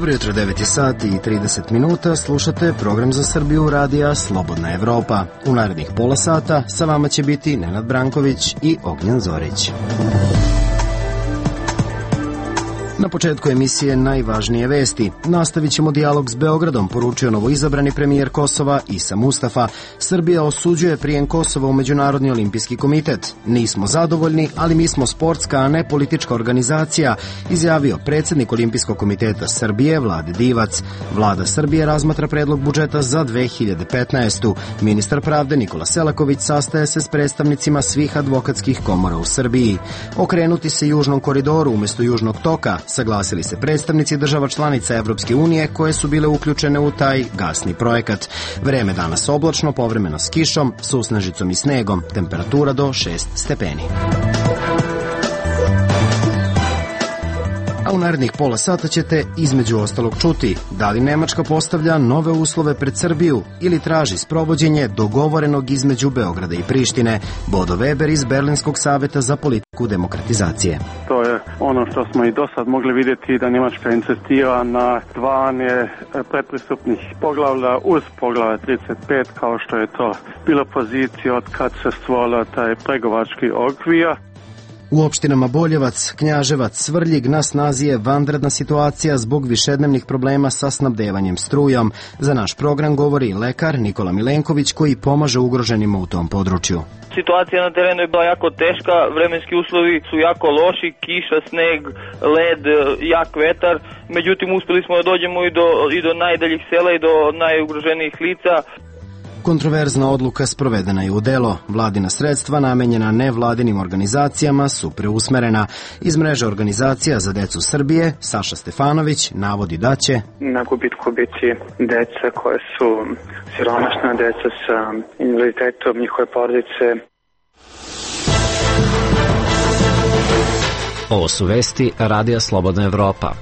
Dobro jutro, 9 je sati i 30 minuta, slušate program za Srbiju radija Slobodna Evropa. U narednih pola sata sa vama će biti Nenad Branković i Ognjen Zorić. Na početku emisije najvažnije vesti. Nastavit ćemo dijalog s Beogradom, poručio novoizabrani premijer Kosova Isa Mustafa. Srbija osuđuje prijem Kosova u Međunarodni olimpijski komitet. Nismo zadovoljni, ali mi smo sportska, a ne politička organizacija, izjavio predsjednik Olimpijskog komiteta Srbije Vlade Divac. Vlada Srbije razmatra predlog budžeta za 2015. Ministar pravde Nikola Selaković sastaje se s predstavnicima svih advokatskih komora u Srbiji. Okrenuti se Južnom koridoru umjesto Južnog toka, saglasili se predstavnici država članica Evropske unije koje su bile uključene u taj gasni projekat. Vreme danas oblačno, povremeno s kišom, susnežicom i snegom, temperatura do 6 stepeni. A u narednih pola sata ćete između ostalog čuti da li Nemačka postavlja nove uslove pred Srbiju ili traži sprovođenje dogovorenog između Beograda i Prištine. Bodo Weber iz Berlinskog saveta za politiku demokratizacije. To je ono što smo i do sad mogli vidjeti, da Njemačka insistira na dvanje predpristupnih poglavlja uz poglavlje 35, kao što je to bilo pozicija od kad se stvorila taj pregovački okvir. U opštinama Boljevac, Knjaževac, Svrljig na snazi je vanredna situacija zbog višednevnih problema sa snabdevanjem strujom. Za naš program govori lekar Nikola Milenković koji pomaže ugroženima u tom području. Situacija na terenu je bila jako teška, vremenski uslovi su jako loši, kiša, sneg, led, jak vetar. Međutim, uspjeli smo da dođemo i do najdaljih sela i do najugroženijih lica. Kontroverzna odluka sprovedena je u delo. Vladina sredstva namenjena nevladinim organizacijama su preusmerena. Iz mreže organizacija za decu Srbije, Saša Stefanović navodi da će na gubitku biti deca koje su siromašna, deca sa invaliditetom, njihove porodice. Ovo su vesti Radija Slobodna Evropa.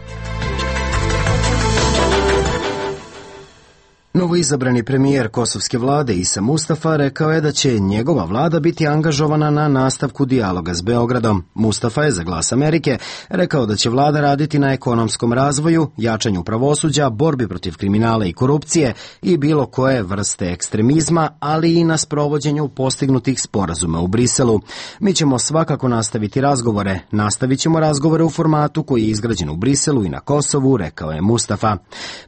Novoizabrani premijer kosovske vlade Isa Mustafa rekao je da će njegova vlada biti angažovana na nastavku dijaloga s Beogradom. Mustafa je za Glas Amerike rekao da će vlada raditi na ekonomskom razvoju, jačanju pravosuđa, borbi protiv kriminala i korupcije i bilo koje vrste ekstremizma, ali i na sprovođenju postignutih sporazuma u Briselu. Mi ćemo svakako nastaviti razgovore. Nastavit ćemo razgovore u formatu koji je izgrađen u Briselu i na Kosovu, rekao je Mustafa.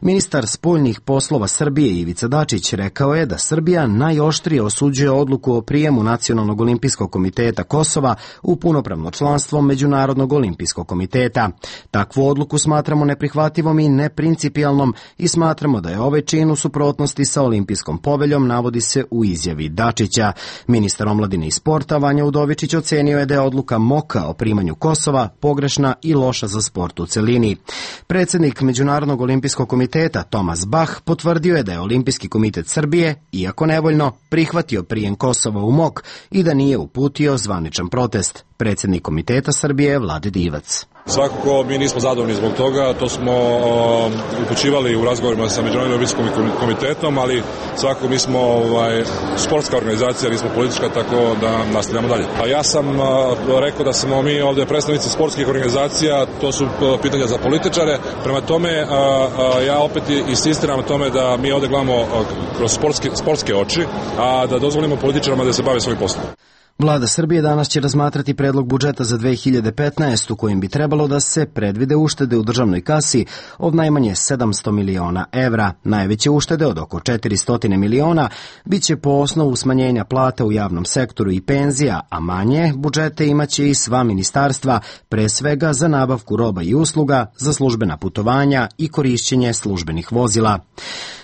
Ministar spoljnih poslova Srbije Ivica Dačić rekao je da Srbija najoštrije osuđuje odluku o prijemu Nacionalnog olimpijskog komiteta Kosova u punopravno članstvo Međunarodnog olimpijskog komiteta. Takvu odluku smatramo neprihvatljivom i neprincipijalnom i smatramo da je ovaj čin u suprotnosti sa olimpijskom poveljom, navodi se u izjavi Dačića. Ministar omladine i sporta Vanja Udovičić ocenio je da je odluka MOKA o primanju Kosova pogrešna i loša za sport u celini. Predsjednik Međunarodnog olimpijskog komiteta Tomas Bach potvrdio je da je Olimpijski komitet Srbije, iako nevoljno, prihvatio prijem Kosova u MOK i da nije uputio zvaničan protest. Predsjednik komiteta Srbije Vlade Divac. Svakako mi nismo zadovoljni zbog toga, to smo upućivali u razgovorima sa Međunarodnim olimpijskim komitetom, ali svakako mi smo sportska organizacija, nismo politička, tako da nastavljamo dalje. A ja sam rekao da smo mi ovdje predstavnici sportskih organizacija, to su pitanja za političare, prema tome ja opet insistiram na tome da mi ovdje gledamo kroz sportske oči, a da dozvolimo političarima da se bave svojim poslom. Vlada Srbije danas će razmatrati predlog budžeta za 2015. u kojem bi trebalo da se predvide uštede u državnoj kasi od najmanje 700 miliona evra. Najveće uštede od oko 400 miliona biće po osnovu smanjenja plata u javnom sektoru i penzija, a manje budžete imaće i sva ministarstva, pre svega za nabavku roba i usluga, za službena putovanja i korišćenje službenih vozila.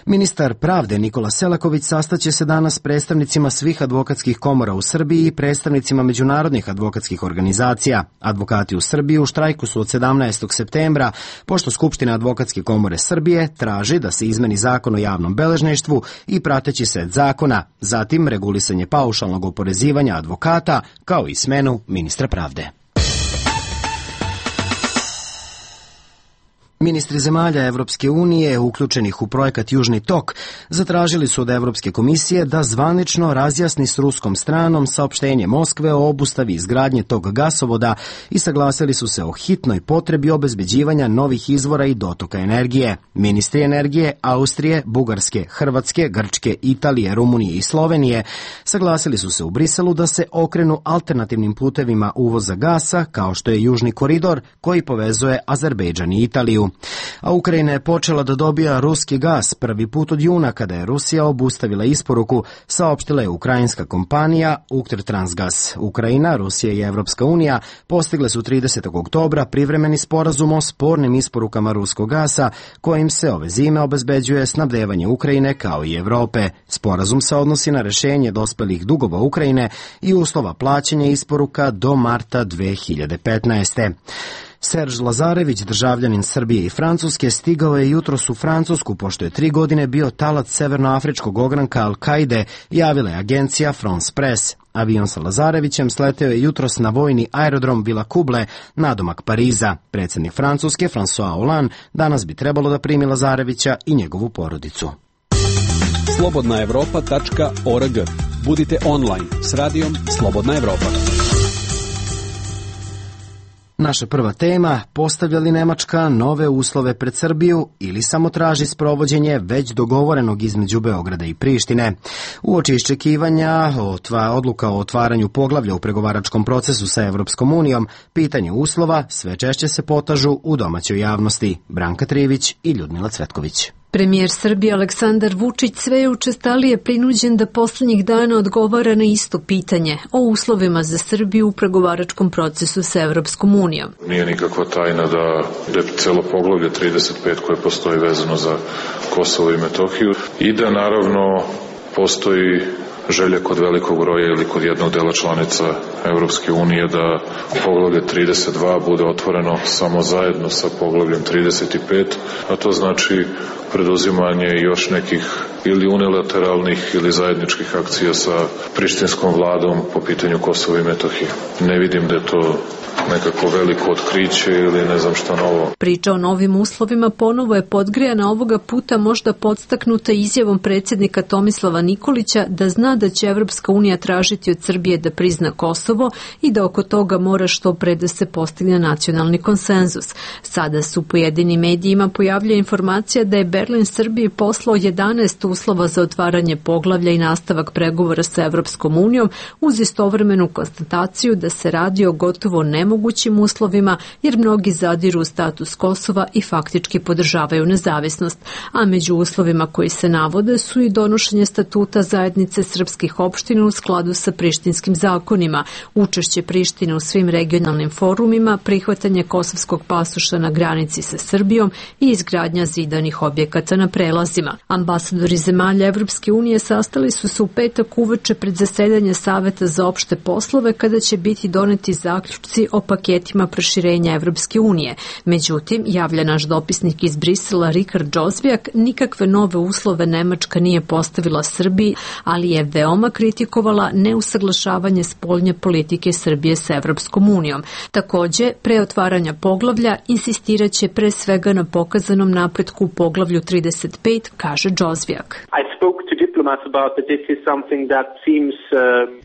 Ministar pravde Nikola Selaković sastaće se danas s predstavnicima svih advokatskih komora u Srbiji i predstavnicima međunarodnih advokatskih organizacija. Advokati u Srbiji u štrajku su od 17. septembra, pošto Skupština advokatske komore Srbije traži da se izmeni zakon o javnom beležništvu i prateći set zakona, zatim regulisanje paušalnog oporezivanja advokata, kao i smenu ministra pravde. Ministri zemalja Evropske unije, uključenih u projekat Južni tok, zatražili su od Evropske komisije da zvanično razjasni s ruskom stranom saopštenje Moskve o obustavi izgradnje tog gasovoda i saglasili su se o hitnoj potrebi obezbeđivanja novih izvora i dotoka energije. Ministri energije Austrije, Bugarske, Hrvatske, Grčke, Italije, Rumunije i Slovenije saglasili su se u Briselu da se okrenu alternativnim putevima uvoza gasa, kao što je Južni koridor koji povezuje Azerbejdžan i Italiju. A Ukrajina je počela da dobija ruski gas prvi put od juna kada je Rusija obustavila isporuku, saopštila je ukrajinska kompanija Uktrtransgas. Ukrajina, Rusija i Evropska unija postigle su 30. oktobra privremeni sporazum o spornim isporukama ruskog gasa kojim se ove zime obezbeđuje snabdevanje Ukrajine kao i Evrope. Sporazum se odnosi na rešenje dospelih dugova Ukrajine i uslova plaćanja isporuka do marta 2015. Serž Lazarević, državljanin Srbije i Francuske, stigao je jutros u Francusku pošto je 3 godine bio talac severnoafričkog ogranka Al-Kaide, javila je agencija France Press. Avion sa Lazarevićem sleteo je jutros na vojni aerodrom Vila Kuble, nadomak Pariza. Predsjednik Francuske, François Hollande, danas bi trebalo da primi Lazarevića i njegovu porodicu. slobodnaevropa.org. Budite online s radijom Slobodna Evropa. Naša prva tema, postavlja li Nemačka nove uslove pred Srbiju ili samo traži sprovođenje već dogovorenog između Beograda i Prištine? Uoči iščekivanja odluka o otvaranju poglavlja u pregovaračkom procesu sa Evropskom unijom, pitanje uslova sve češće se potažu u domaćoj javnosti. Branka Trivić i Ljudmila Cvetković. Premijer Srbije Aleksandar Vučić sve je učestalije prinuđen da poslednjih dana odgovara na isto pitanje o uslovima za Srbiju u pregovaračkom procesu sa Evropskom unijom. Nije nikakva tajna da je celo poglavlje 35 koje postoji vezano za Kosovo i Metohiju i da naravno postoji želja kod velikog broja ili kod jednog dela članica Evropske unije da poglavlje 32 bude otvoreno samo zajedno sa poglavljem 35, a to znači preduzimanje još nekih ili unilateralnih ili zajedničkih akcija sa prištinskom vladom po pitanju Kosova i Metohije. Ne vidim da je to nekako veliko otkriće ili ne znam šta novo. Priča o novim uslovima ponovo je podgrejana ovoga puta možda podstaknuta izjavom predsjednika Tomislava Nikolića da zna da će Evropska unija tražiti od Srbije da prizna Kosovo i da oko toga mora što pre da se postigne nacionalni konsenzus. Sada su pojedinim medijima pojavlja informacija da je Berlin Srbiji poslao 11 uslova za otvaranje poglavlja i nastavak pregovora sa Evropskom unijom uz istovremenu konstataciju da se radi o gotovo nemogućim uslovima jer mnogi zadiru u status Kosova i faktički podržavaju nezavisnost, a među uslovima koji se navode su i donošenje statuta zajednice srpskih opština u skladu sa prištinskim zakonima, učešće Prištine u svim regionalnim forumima, prihvatanje kosovskog pasoša na granici sa Srbijom i izgradnja zidanih objekata na prelazima. Ambasadori zemalja Evropske unije sastali su se u petak uveče pred zasedanje Saveta za opšte poslove kada će biti doneti zaključci o paketima proširenja Evropske unije. Međutim, javlja naš dopisnik iz Brisela Rikard Džozvijak, nikakve nove uslove Nemačka nije postavila Srbiji, ali je veoma kritikovala neusaglašavanje spoljne politike Srbije sa Evropskom unijom. Takođe, pre otvaranja poglavlja insistiraće pre svega na pokazanom napretku u poglavlju 35, kaže Džozvijak.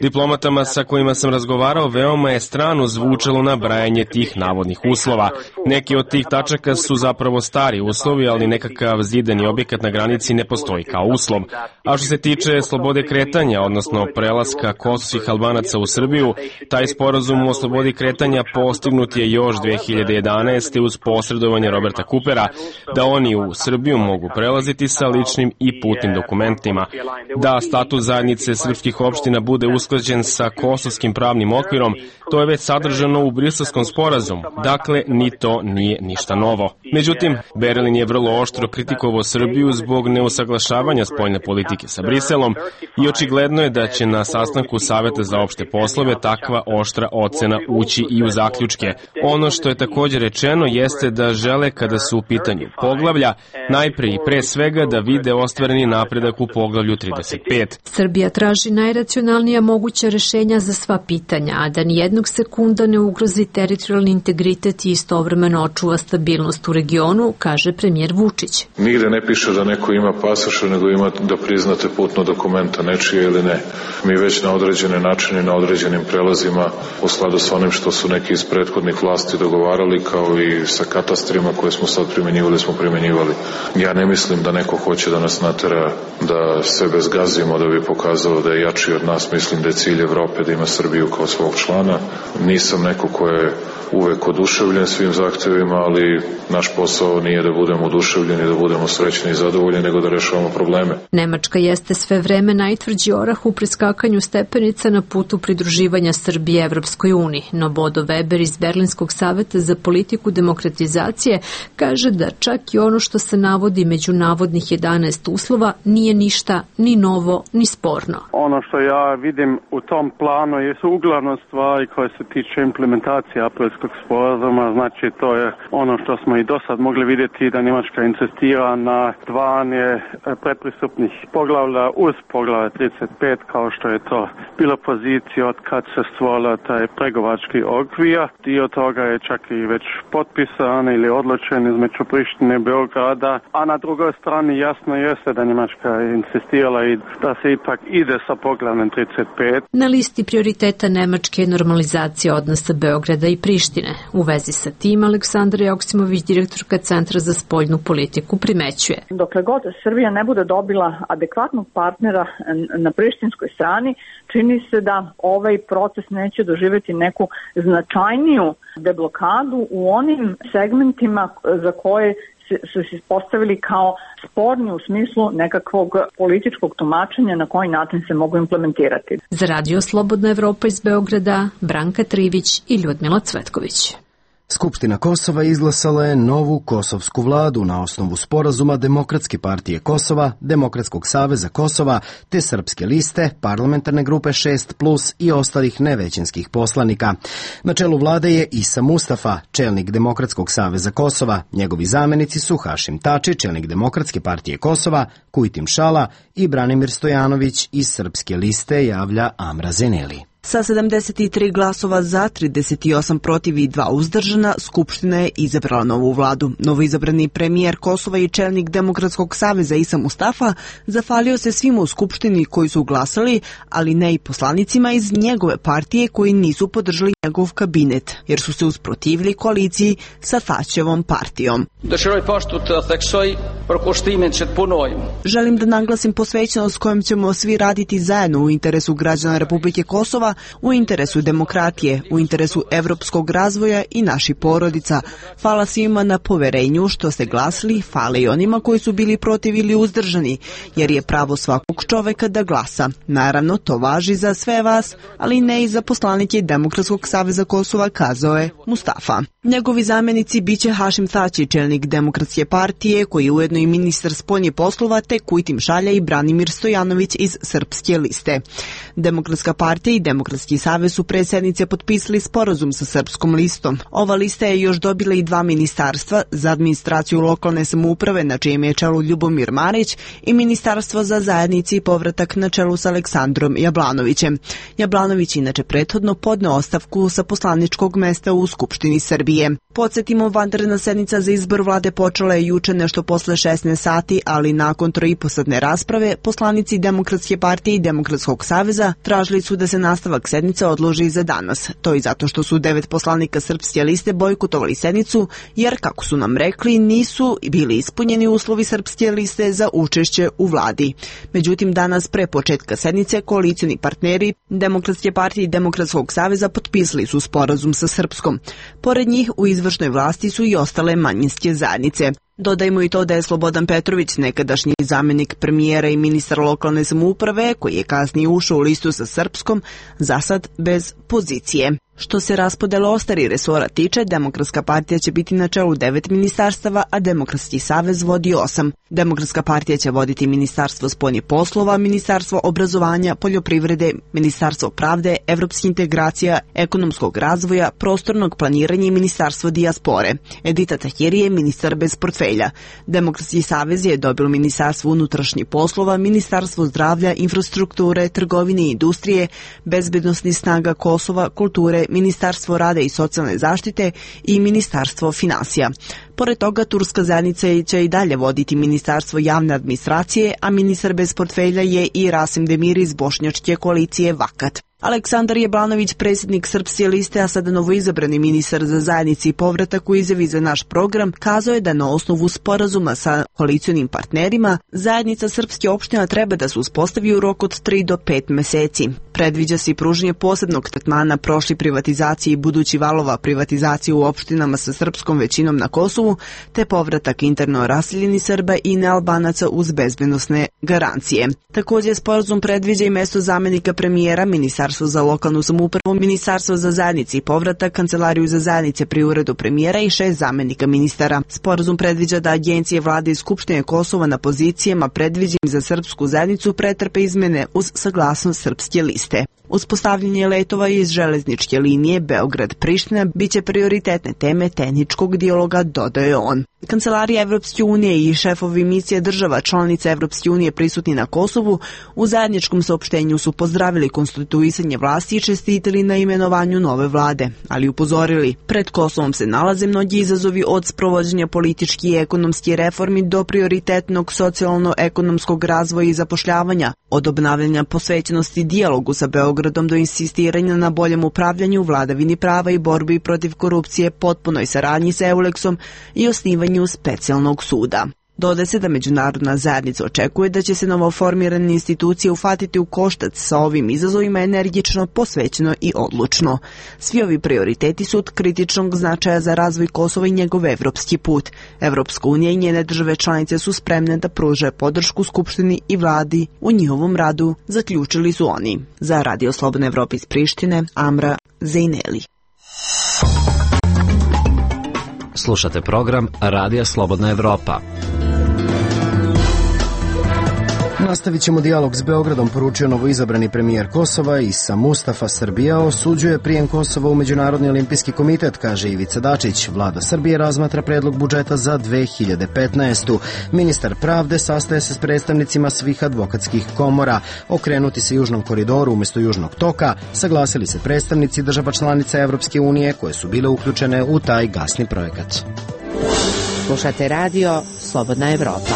Diplomatama sa kojima sam razgovarao veoma je strano zvučalo nabrajanje tih navodnih uslova. Neki od tih tačaka su zapravo stari uslovi, ali nekakav zidani objekat na granici ne postoji kao uslov. A što se tiče slobode kretanja, odnosno prelaska kosovskih Albanaca u Srbiju, taj sporazum o slobodi kretanja postignut je još 2011. uz posredovanje Roberta Coopera, da oni u Srbiju mogu prelaziti sa ličnim i putnim dokumentima. Da status zajednice srpskih opština bude usklađen sa kosovskim pravnim okvirom, to je već sadržano u Briselskom sporazumu, dakle ni to nije ništa novo. Međutim, Berlin je vrlo oštro kritikovao Srbiju zbog neusaglašavanja spoljne politike sa Briselom i očigledno je da će na sastanku Saveta za opšte poslove takva oštra ocena ući i u zaključke. Ono što je također rečeno jeste da žele kada su u pitanju poglavlja, najpre i pre svega da vide ostvareni napredak napredak u poglavlju 35. Srbija traži najracionalnija moguća rešenja za sva pitanja, a da nijednog sekunda ne ugrozi teritorijalni integritet i istovremeno očuva stabilnost u regionu, kaže premijer Vučić. Nigde ne piše da neko ima pasoše, nego ima da priznate putno dokumenta nečije ili ne. Mi već na određene načine, na određenim prelazima, u skladu s onim što su neki iz prethodnih vlasti dogovarali, kao i sa katastrima koje smo sad primenjivali. Ja ne mislim da neko hoće da nas natera da sebe zgazimo da bi pokazalo da je jači od nas. Mislim da je cilj Evrope da ima Srbiju kao svog člana. Nisam neko ko je uvek oduševljen svim zahtevima, ali naš posao nije da budemo oduševljeni, da budemo srećni i zadovoljni, nego da rešavamo probleme. Nemačka jeste sve vreme najtvrđi orah u preskakanju stepenica na putu pridruživanja Srbije Evropskoj uniji, no Bodo Weber iz Berlinskog saveta za politiku demokratizacije kaže da čak i ono što se navodi među navodnih 11 uslova nije ništa ni novo ni sporno. Ono što ja vidim u tom planu su uglavnom stvari koje se tiče implementacije aprilskog sporazuma, znači to je ono što smo i do sad mogli vidjeti da Njemačka insistira na dvanje predpristupnih poglavlja uz poglavlje 35 kao što je to bilo pozicija od kad se stvorila taj pregovački okvir. Dio toga je čak i već potpisan ili odlučen između Prištine i Beograda, a na drugoj strani jasno jeste da Njemačka je insistirala i da se ipak ide sa poglavljem 35. Na listi prioriteta Nemačke je normalizacija odnosa Beograda i Prištine. U vezi sa tim Aleksandra Joksimović, direktorka Centra za spoljnu politiku, primećuje. Dokle god Srbija ne bude dobila adekvatnog partnera na prištinskoj strani, čini se da ovaj proces neće doživjeti neku značajniju deblokadu u onim segmentima za koje su se postavili kao sporni u smislu nekakvog političkog tumačenja na koji način se mogu implementirati. Za Radio Slobodna Evropa iz Beograda, Branka Trivić i Ljudmila Cvetković. Skupština Kosova izglasala je novu kosovsku vladu na osnovu sporazuma Demokratske partije Kosova, Demokratskog saveza Kosova te Srpske liste, parlamentarne grupe 6+ i ostalih nevećinskih poslanika. Na čelu vlade je Isa Mustafa, čelnik Demokratskog saveza Kosova. Njegovi zamenici su Hašim Tači, čelnik Demokratske partije Kosova, Kujtim Šala i Branimir Stojanović iz Srpske liste, javlja Amra Zeneli. Sa 73 glasova za, 38 protiv i 2 uzdržana, Skupština je izabrala novu vladu. Novoizabrani premijer Kosova i čelnik Demokratskog saveza Isa Mustafa zahvalio se svima u Skupštini koji su glasali, ali ne i poslanicima iz njegove partije koji nisu podržali njegov kabinet, jer su se usprotivili koaliciji sa Tačevom partijom. Želim da naglasim posvećenost kojom ćemo svi raditi zajedno u interesu građana Republike Kosova, u interesu demokratije, u interesu evropskog razvoja i naših porodica. Hvala svima na poverenju što ste glasili, hvala i onima koji su bili protiv ili uzdržani, jer je pravo svakog čoveka da glasa. Naravno, to važi za sve vas, ali ne i za poslanike Demokratskog saveza Kosova, kazao je Mustafa. Njegovi zamenici biće Hašim Tači, čelnik Demokratske partije, koji je ujedno i ministar spoljnih poslova, te Kujtim Šalja i Branimir Stojanović iz Srpske liste. Demokratska partija i Demokratski savez su pre sednice potpisali sporazum sa Srpskom listom. Ova lista je još dobila i 2 ministarstva, za administraciju lokalne samouprave na čijem je čelu Ljubomir Marić i ministarstvo za zajednici i povratak na čelu sa Aleksandrom Jablanovićem. Jablanović inače prethodno podneo ostavku sa poslaničkog mesta u Skupštini Srbije. Podsjetimo, vanredna sednica za izbor vlade počela je juče nešto posle 16 sati, ali nakon 3,5-satne rasprave poslanici Demokratske partije i Demokratskog saveza tražili su da se nastavak sednice odloži za danas. To i zato što su 9 poslanika Srpske liste bojkotovali sednicu, jer, kako su nam rekli, nisu bili ispunjeni uslovi Srpske liste za učešće u vladi. Međutim, danas pre početka sednice koalicioni partneri Demokratske partije i Demokratskog saveza potpisali su sporazum sa Srpskom. Pored njih u izvršnoj vlasti su i ostale manjinske zajednice. Dodajmo i to da je Slobodan Petrović, nekadašnji zamenik premijera i ministar lokalne samouprave, koji je kasnije ušao u listu sa Srpskom, zasad bez pozicije. Što se raspodele ostalih resora tiče, Demokratska partija će biti na čelu 9 ministarstava, a Demokratski savez vodi 8. Demokratska partija će voditi Ministarstvo spoljnih poslova, Ministarstvo obrazovanja, poljoprivrede, Ministarstvo pravde, evropskih integracija, ekonomskog razvoja, prostornog planiranja i Ministarstvo dijaspore. Edita Tahiri je ministar bez portfelja. Demokratski savez je dobilo Ministarstvo unutrašnjih poslova, Ministarstvo zdravlja, infrastrukture, trgovine i industrije, bezbednosnih snaga Kosova, kulture, Ministarstvo rada i socijalne zaštite i Ministarstvo finansija. Pored toga, turska zajednica će i dalje voditi Ministarstvo javne administracije, a ministar bez portfelja je i Rasim Demiri iz bošnjačke koalicije Vakat. Aleksandar Jablanović, predsjednik Srpske liste, a sada novoizabrani ministar za zajednici i povratak, u izjavi za naš program kazao je da na osnovu sporazuma sa koalicionim partnerima zajednica srpske opština treba da se uspostavi u roku od 3 do 5 meseci. Predviđa se i pružanje posebnog tretmana prošli privatizacije i budući valova privatizacije u opštinama sa srpskom većinom na Kosovu, te povratak interno raseljenih Srba i nealbanaca uz bezbednosne garancije. Također, sporazum predviđa i mesto zamenika premijera, Ministarstvo za lokalnu samoupravu, Ministarstvo za zajednici i povratak, Kancelariju za zajednice pri uredu premijera i 6 zamenika ministara. Sporazum predviđa da agencije vlade i Skupštine Kosova na pozicijama predviđenim za srpsku zajednicu pretrpe izmene uz saglasnost Srpske liste. Uspostavljanje letova iz železničke linije Beograd-Priština biće prioritetne teme tehničkog dijaloga, dodaje on. Kancelarija Evropske unije i šefovi misije država članica Evropske unije prisutni na Kosovu u zajedničkom saopštenju su pozdravili konstituisanje vlasti i čestitili na imenovanju nove vlade, ali upozorili, pred Kosovom se nalaze mnogi izazovi od sprovođenja politički i ekonomski reformi do prioritetnog socijalno-ekonomskog razvoja i zapošljavanja, od obnavljanja posvećenosti dijalogu sa Beogradom do insistiranja na boljem upravljanju, vladavini prava i borbi protiv korupcije, potpunoj saradnji sa EULEX-om i osnivanju specijalnog suda. Dodaje se da međunarodna zajednica očekuje da će se novoformirane institucije ufatiti u koštac sa ovim izazovima energično, posvećeno i odlučno. Svi ovi prioriteti su od kritičnog značaja za razvoj Kosova i njegov evropski put. Evropska unija i njene države članice su spremne da pruže podršku Skupštini i vladi u njihovom radu, zaključili su oni. Za Radio Slobodna Evropa iz Prištine, Amra Zejneli. Slušate program Radija Slobodna Evropa. Nastavit ćemo dijalog s Beogradom, poručio novoizabrani premijer Kosova Isa Mustafa. Srbija osuđuje prijem Kosova u Međunarodni olimpijski komitet, kaže Ivica Dačić. Vlada Srbije razmatra predlog budžeta za 2015. Ministar pravde sastaje se s predstavnicima svih advokatskih komora. Okrenuti se Južnom koridoru umjesto Južnog toka, saglasili se predstavnici država članica Evropske unije koje su bile uključene u taj gasni projekat. Slušate radio Slobodna Evropa.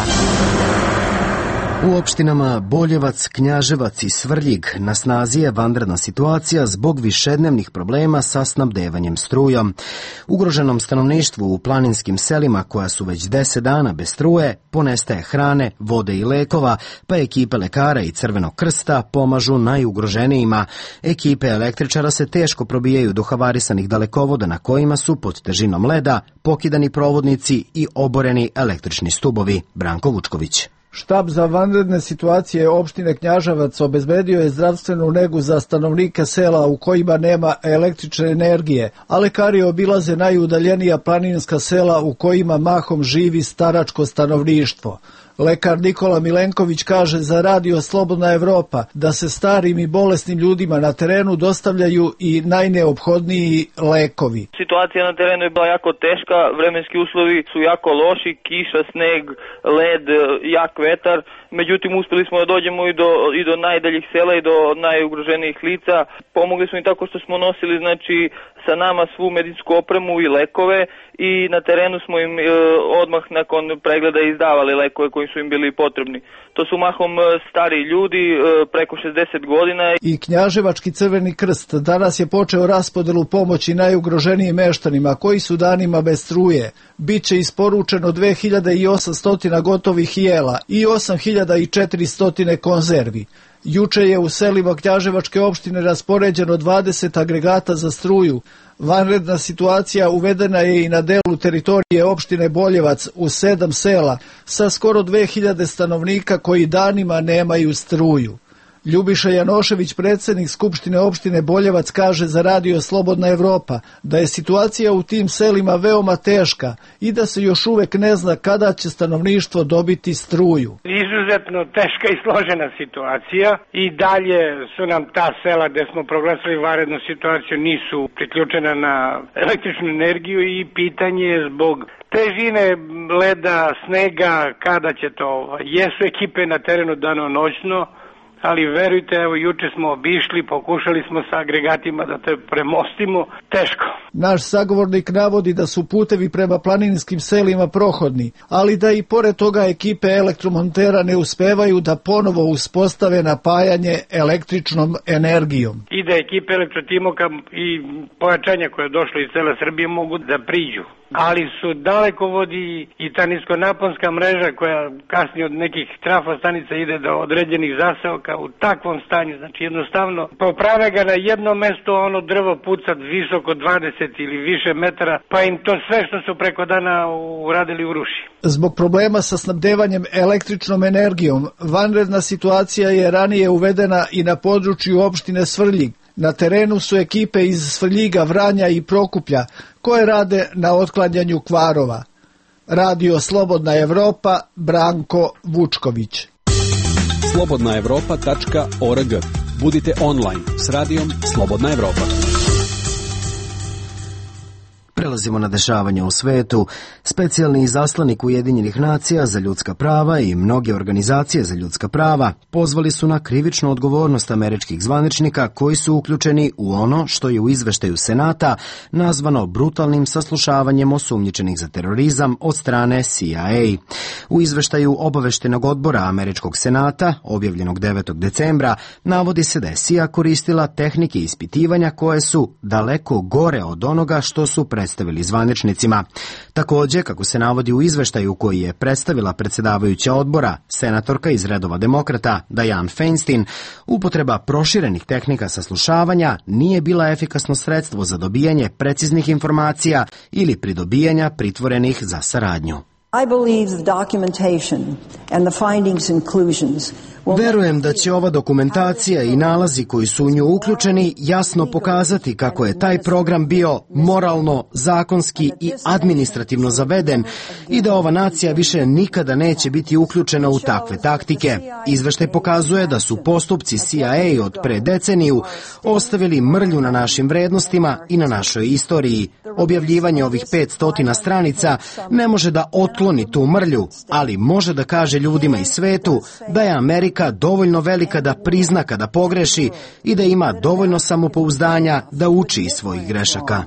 U opštinama Boljevac, Knjaževac i Svrljig na snazi je vanredna situacija zbog višednevnih problema sa snabdevanjem strujom. Ugroženom stanovništvu u planinskim selima koja su već 10 dana bez struje ponestaje hrane, vode i lekova, pa ekipe lekara i Crvenog krsta pomažu najugroženijima. Ekipe električara se teško probijaju do havarisanih dalekovoda na kojima su pod težinom leda pokidani provodnici i oboreni električni stubovi. Branko Vučković. Štab za vanredne situacije opštine Knjaževac obezbedio je zdravstvenu negu za stanovnike sela u kojima nema električne energije, a lekari obilaze najudaljenija planinska sela u kojima mahom živi staračko stanovništvo. Lekar Nikola Milenković kaže za Radio Slobodna Evropa da se starim i bolesnim ljudima na terenu dostavljaju i najneophodniji lekovi. Situacija na terenu je bila jako teška, vremenski uslovi su jako loši, kiša, sneg, led, jak vetar. Međutim, uspjeli smo da dođemo i do najdaljih sela i do najugroženijih lica. Pomogli smo im tako što smo nosili sa nama svu medicinsku opremu i lekove i na terenu smo im odmah nakon pregleda izdavali lekove koji su im bili potrebni. To su mahom stari ljudi, preko 60 godina. I Knjaževački Crveni krst danas je počeo raspodelu pomoći najugroženijim meštanima koji su danima bez struje. Biće isporučeno 2800 gotovih jela i 8400 konzervi. Juče je u selima Knjaževačke opštine raspoređeno 20 agregata za struju. Vanredna situacija uvedena je i na delu teritorije opštine Boljevac u 7 sela sa skoro 2000 stanovnika koji danima nemaju struju. Ljubiša Janošević, predsjednik Skupštine opštine Boljevac, kaže za Radio Slobodna Evropa da je situacija u tim selima veoma teška i da se još uvek ne zna kada će stanovništvo dobiti struju. Izuzetno teška i složena situacija i dalje su nam ta sela gde smo proglasili vanrednu situaciju nisu priključena na električnu energiju i pitanje je zbog težine leda, snega, kada će to. Jesu ekipe na terenu danonoćno, ali verujte, evo juče smo obišli, pokušali smo sa agregatima da te premostimo, teško. Naš sagovornik navodi da su putevi prema planinskim selima prohodni, ali da i pored toga ekipe elektromontera ne uspevaju da ponovo uspostave napajanje električnom energijom. I da ekipe elektrotimoka i pojačanja koje je došlo iz cele Srbije mogu da priđu. Ali su dalekovodi i ta niskonaponska mreža koja kasnije od nekih trafostanica ide do određenih zaseoka u takvom stanju, znači jednostavno poprave ga na jedno mesto, ono drvo puca visoko 20 ili više metara, pa im to sve što su preko dana uradili uruši. Zbog problema sa snabdevanjem električnom energijom, vanredna situacija je ranije uvedena i na području opštine Svrljig. Na terenu su ekipe iz Svrljiga, Vranja i Prokuplja koje rade na otklanjanju kvarova. Radio Slobodna Evropa, Branko Vučković. slobodnaevropa.org. Budite online s radijom Slobodna Evropa. Prelazimo na dešavanje u svetu. Specijalni izaslanik Ujedinjenih nacija za ljudska prava i mnoge organizacije za ljudska prava pozvali su na krivičnu odgovornost američkih zvaničnika koji su uključeni u ono što je u izveštaju Senata nazvano brutalnim saslušavanjem osumnjičenih za terorizam od strane CIA. U izveštaju obaveštenog odbora američkog Senata, objavljenog 9. decembra, navodi se da je CIA koristila tehnike ispitivanja koje su daleko gore od onoga što su predstavili zvaničnicima. Također, kako se navodi u izveštaju koji je predstavila predsjedavajuća odbora, senatorka iz redova demokrata Dianne Feinstein, upotreba proširenih tehnika saslušavanja nije bila efikasno sredstvo za dobijanje preciznih informacija ili pridobijanja pritvorenih za saradnju. Verujem da će ova dokumentacija i nalazi koji su u nju uključeni jasno pokazati kako je taj program bio moralno, zakonski i administrativno zaveden i da ova nacija više nikada neće biti uključena u takve taktike. Izveštaj pokazuje da su postupci CIA od pre deceniju ostavili mrlju na našim vrednostima i na našoj istoriji. Objavljivanje ovih 500 stranica ne može da otkloni tu mrlju, ali može da kaže ljudima i svetu da je Amerika dovoljno velika da prizna kada pogreši i da ima dovoljno samopouzdanja da uči iz svojih grešaka.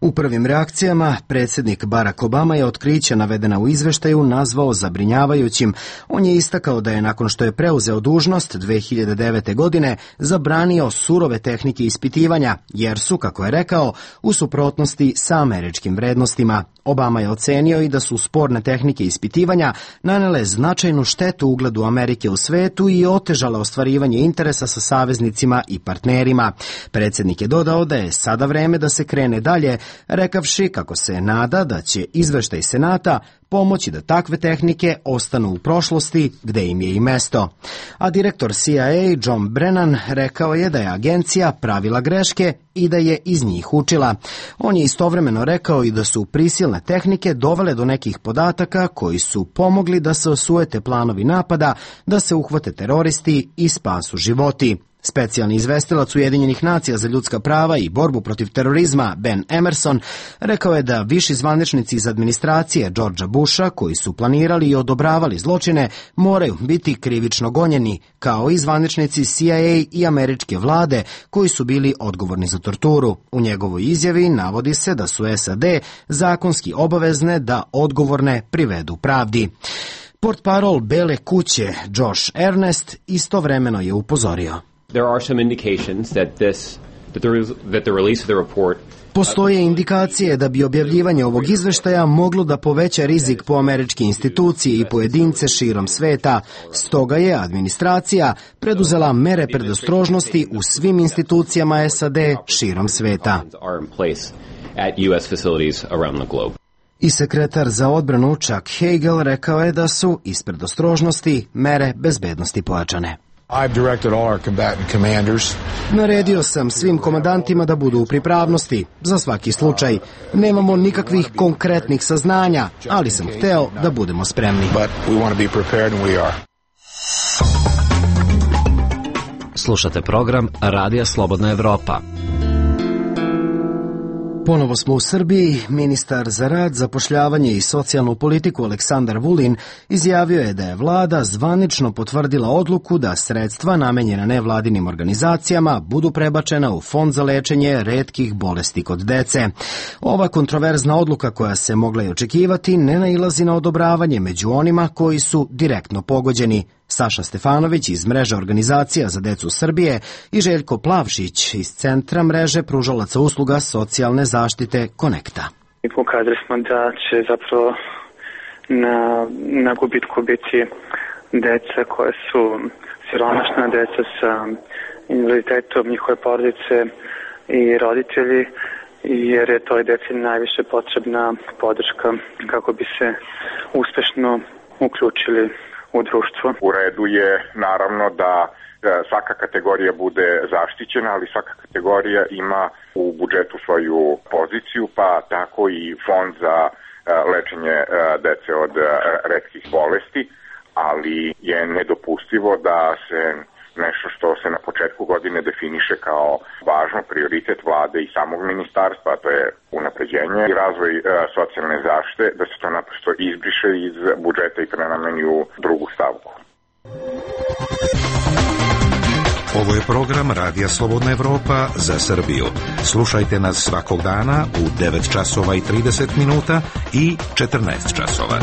U prvim reakcijama predsjednik Barack Obama je otkriće navedena u izveštaju nazvao zabrinjavajućim. On je istakao da je nakon što je preuzeo dužnost 2009. godine zabranio surove tehnike ispitivanja, jer su, kako je rekao, u suprotnosti sa američkim vrednostima. Obama je ocenio i da su sporne tehnike ispitivanja nanele značajnu štetu ugledu Amerike u svetu i otežale ostvarivanje interesa sa saveznicima i partnerima. Predsjednik je dodao da je sada vreme da se krene dalje, rekavši kako se nada da će izveštaj Senata pomoći da takve tehnike ostanu u prošlosti gde im je i mesto. A direktor CIA John Brennan rekao je da je agencija pravila greške i da je iz njih učila. On je istovremeno rekao i da su prisilne tehnike dovele do nekih podataka koji su pomogli da se osujete planovi napada, da se uhvate teroristi i spasu životi. Specijalni izvestilac Ujedinjenih nacija za ljudska prava i borbu protiv terorizma Ben Emerson rekao je da viši zvaničnici iz administracije Georgea Busha koji su planirali i odobravali zločine moraju biti krivično gonjeni, kao i zvaničnici CIA i američke vlade koji su bili odgovorni za torturu. U njegovoj izjavi navodi se da su SAD zakonski obavezne da odgovorne privedu pravdi. Portparol Bele kuće Josh Earnest istovremeno je upozorio. There are some indications that the release of the report Postoje indikacije da bi objavljivanje ovog izveštaja moglo da poveća rizik po američke institucije i pojedince širom sveta. Stoga je administracija preduzela mere predostrožnosti u svim institucijama SAD širom sveta. I sekretar za odbranu Chuck Hagel rekao je da su, ispred ostrožnosti, mere bezbednosti pojačane. Naredio sam svim komandantima da budu u pripravnosti, za svaki slučaj. Nemamo nikakvih konkretnih saznanja, ali sam hteo da budemo spremni. Slušate program Radija Slobodna Evropa. Ponovo smo u Srbiji. Ministar za rad, zapošljavanje i socijalnu politiku Aleksandar Vulin izjavio je da je vlada zvanično potvrdila odluku da sredstva namenjena nevladinim organizacijama budu prebačena u Fond za lečenje retkih bolesti kod dece. Ova kontroverzna odluka, koja se mogla i očekivati, ne nailazi na odobravanje među onima koji su direktno pogođeni. Saša Stefanović iz mreže organizacija za decu Srbije i Željko Plavšić iz centra mreže pružalaca usluga socijalne zaštite Konekta. Pokazali smo da će zapravo na gubitku biti deca koje su siromašna, deca sa invaliditetom, njihove porodice i roditelji, jer je toj deci najviše potrebna podrška kako bi se uspešno uključili u društvo. U redu je naravno da svaka kategorija bude zaštićena, ali svaka kategorija ima u budžetu svoju poziciju, pa tako i fond za lečenje dece od retkih bolesti, ali je nedopustivo da se nešto što se na početku godine definiše kao važno prioritet vlade i samog ministarstva, to je unapređenje i razvoj socijalne zaštite, da se to naprosto izbriše iz budžeta i prenameni u drugu stavku. Ovo je program Radija Slobodna Evropa za Srbiju. Slušajte nas svakog dana u 9 časova i 30 minuta i 14 časova.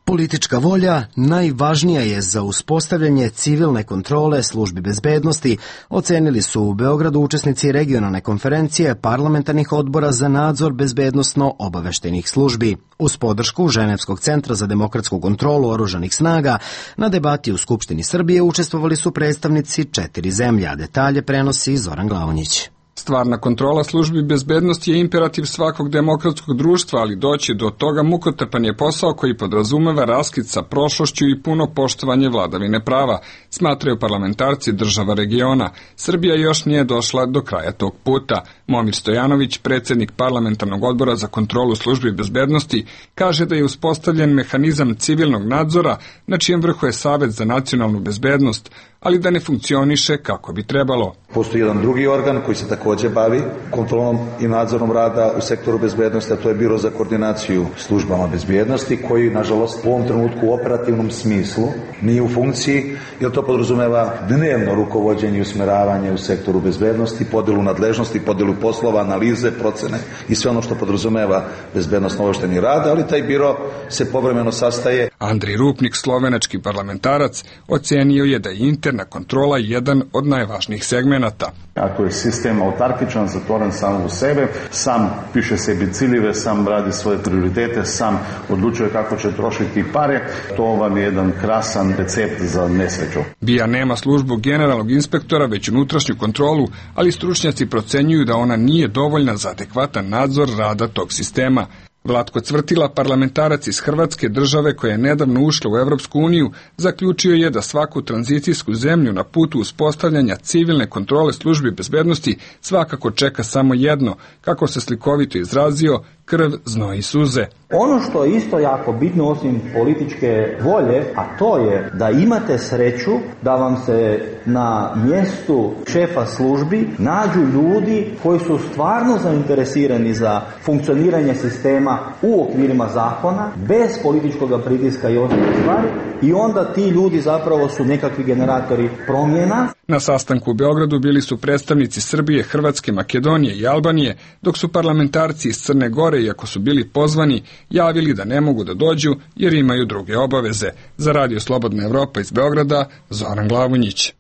Politička volja najvažnija je za uspostavljanje civilne kontrole službi bezbednosti, ocenili su u Beogradu učesnici regionalne konferencije parlamentarnih odbora za nadzor bezbednosno-obaveštajnih službi. Uz podršku Ženevskog centra za demokratsku kontrolu oružanih snaga, na debati u Skupštini Srbije učestvovali su predstavnici 4 zemlje, a detalje prenosi Zoran Glavonjić. Stvarna kontrola službi bezbednosti je imperativ svakog demokratskog društva, ali doći do toga mukotrpan je posao koji podrazumeva raskid sa prošlošću i puno poštovanje vladavine prava, smatraju parlamentarci država regiona. Srbija još nije došla do kraja tog puta. Momir Stojanović, predsjednik parlamentarnog odbora za kontrolu službi bezbednosti, kaže da je uspostavljen mehanizam civilnog nadzora, na čijem vrhu je Savet za nacionalnu bezbednost, ali da ne funkcioniše kako bi trebalo. Postoji jedan drugi organ koji se također bavi kontrolom i nadzorom rada u sektoru bezbednosti, a to je Biro za koordinaciju službama bezbednosti, koji, nažalost, u ovom trenutku u operativnom smislu nije u funkciji, jer to podrazumeva dnevno rukovođenje i usmeravanje u sektoru bezbednosti, podelu nadležnosti, podelu poslova, analize, procene i sve ono što podrazumeva bezbednosno-obaveštajni rad, ali taj biro se povremeno sastaje. Andrij Rupnik, slovenački parlamentarac, ocenio je da je interna kontrola jedan od najvažnijih segmenata. Ako je sistem autarkičan, zatvoren samo u sebe, sam piše sebi ciljeve, sam radi svoje prioritete, sam odlučuje kako će trošiti pare, to vam je jedan krasan recept za nesreću. BIA nema službu generalnog inspektora, već unutrašnju kontrolu, ali stručnjaci procenjuju da ona nije dovoljna za adekvatan nadzor rada tog sistema. Vlatko Cvrtila, parlamentarac iz Hrvatske, države koja je nedavno ušla u Evropsku uniju, zaključio je da svaku tranzicijsku zemlju na putu uspostavljanja civilne kontrole službi bezbednosti svakako čeka samo jedno, kako se slikovito izrazio, krv, znoj i suze. Ono što je isto jako bitno osim političke volje, a to je da imate sreću da vam se na mjestu šefa službi nađu ljudi koji su stvarno zainteresirani za funkcioniranje sistema u okvirima zakona, bez političkog pritiska i ostalih stvari, i onda ti ljudi zapravo su nekakvi generatori promjena. Na sastanku u Beogradu bili su predstavnici Srbije, Hrvatske, Makedonije i Albanije, dok su parlamentarci iz Crne Gore, iako su bili pozvani, javili da ne mogu da dođu jer imaju druge obaveze. Za Radio Slobodna Evropa iz Beograda, Zoran Glavonjić.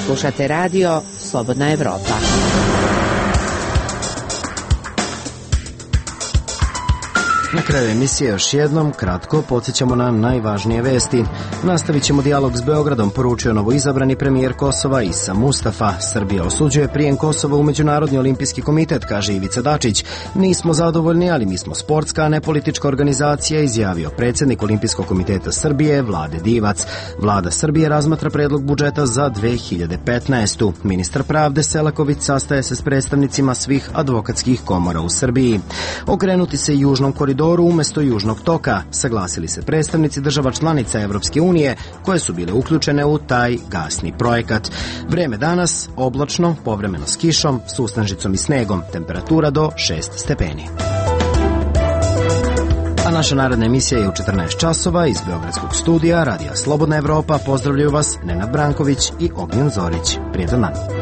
Slušate Radio Slobodna Evropa. Na kraju emisije još jednom kratko podsjećamo na najvažnije vesti. Nastavit ćemo dijalog s Beogradom, poručio novoizabrani premijer Kosova Isa Mustafa. Srbija osuđuje prijem Kosova u Međunarodni olimpijski komitet, kaže Ivica Dačić. Nismo zadovoljni, ali mi smo sportska, a ne politička organizacija, izjavio predsjednik Olimpijskog komiteta Srbije Vlade Divac. Vlada Srbije razmatra predlog budžeta za 2015. Ministar pravde Selaković sastaje se s predstavnicima svih advokatskih komora u Srbiji. Okrenuti se južnom koridoru umjesto južnog toka, saglasili se predstavnici država članica Evropske unije koje su bile uključene u taj gasni projekat. Vreme danas oblačno, povremeno s kišom, sustanžicom i snegom, temperatura do 6 stepeni. A naša naredna emisija je u 14 časova iz Beogradskog studija Radija Slobodna Evropa. Pozdravljaju vas Nenad Branković i Ognjen Zorić. Prijetan dan.